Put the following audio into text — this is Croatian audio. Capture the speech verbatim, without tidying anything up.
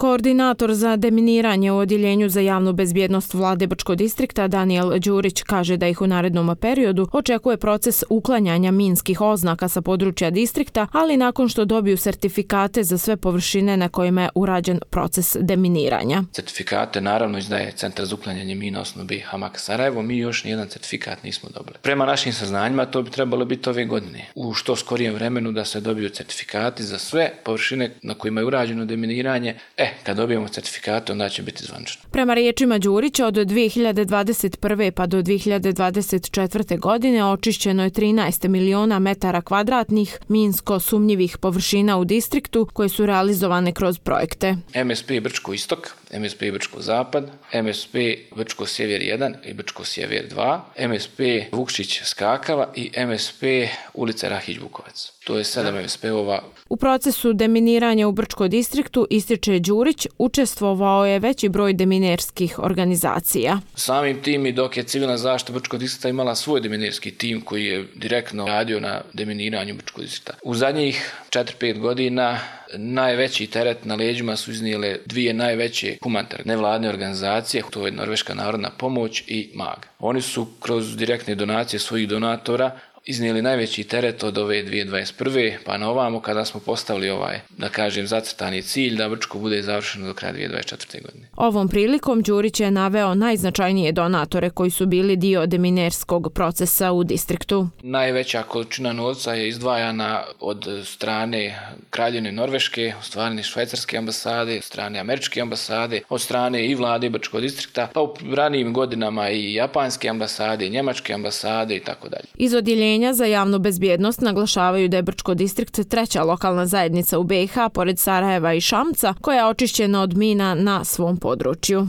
Koordinator za deminiranje u Odjeljenju za javnu bezbjednost Vlade Brčkog distrikta Danijel Đurić kaže da ih u narednom periodu očekuje proces uklanjanja minskih oznaka sa područja distrikta, ali nakon što dobiju sertifikate za sve površine na kojima je urađen proces deminiranja. Certifikate naravno izdaje Centar za uklanjanje mina osnovno B i Hamak Sarajevo, mi još nijedan certifikat nismo dobili. Prema našim saznanjima to bi trebalo biti ove godine. U što skorijem vremenu da se dobiju certifikati za sve površine na kojima je urađeno deminiranje. E, kad dobijemo certifikate, onda će biti zvanično. Prema riječima Đurića, od dvije hiljade dvadeset prve pa do dvije hiljade dvadeset četvrte. godine očišćeno je trinaest miliona metara kvadratnih minsko sumnjivih površina u distriktu koje su realizovane kroz projekte. M S P Brčko istok, M S P Brčko zapad, M S P Brčko sjever jedan i Brčko sjever dva, M S P Vukšić Skakava i M S P ulica Rahić Bukovac. To je sedam M S P-ova. U procesu deminiranja u Brčkom distriktu, ističe Đurić, učestvovao je veći broj deminerskih organizacija. Samim tim i dok je civilna zaštita Brčkog distrikta imala svoj deminerski tim koji je direktno radio na deminiranju Brčkog distrikta. U zadnjih četiri pet godina najveći teret na leđima su iznijele dvije najveće humanitarne nevladine organizacije, to je Norveška narodna pomoć i M A G. Oni su kroz direktne donacije svojih donatora iznijeli najveći teret od ove dvije hiljade dvadeset prve. pa na ovamo kada smo postavili ovaj, da kažem, zacrtani cilj da Brčko bude završeno do kraja dvije hiljade dvadeset četvrte. godine. Ovom prilikom Đurić je naveo najznačajnije donatore koji su bili dio deminerskog procesa u distriktu. Najveća količina novca je izdvajana od strane Kraljevine Norveške, od strane Švajcarske ambasade, od strane Američke ambasade, od strane i vlade Brčkog distrikta, pa u ranijim godinama i Japanske ambasade, Njemačke ambasade i tako dalje. Iz Odjeljenja za javnu bezbjednost naglašavaju da je Brčko distrikt treća lokalna zajednica u B i H pored Sarajeva i Šamca koja je očišćena od mina na svom području.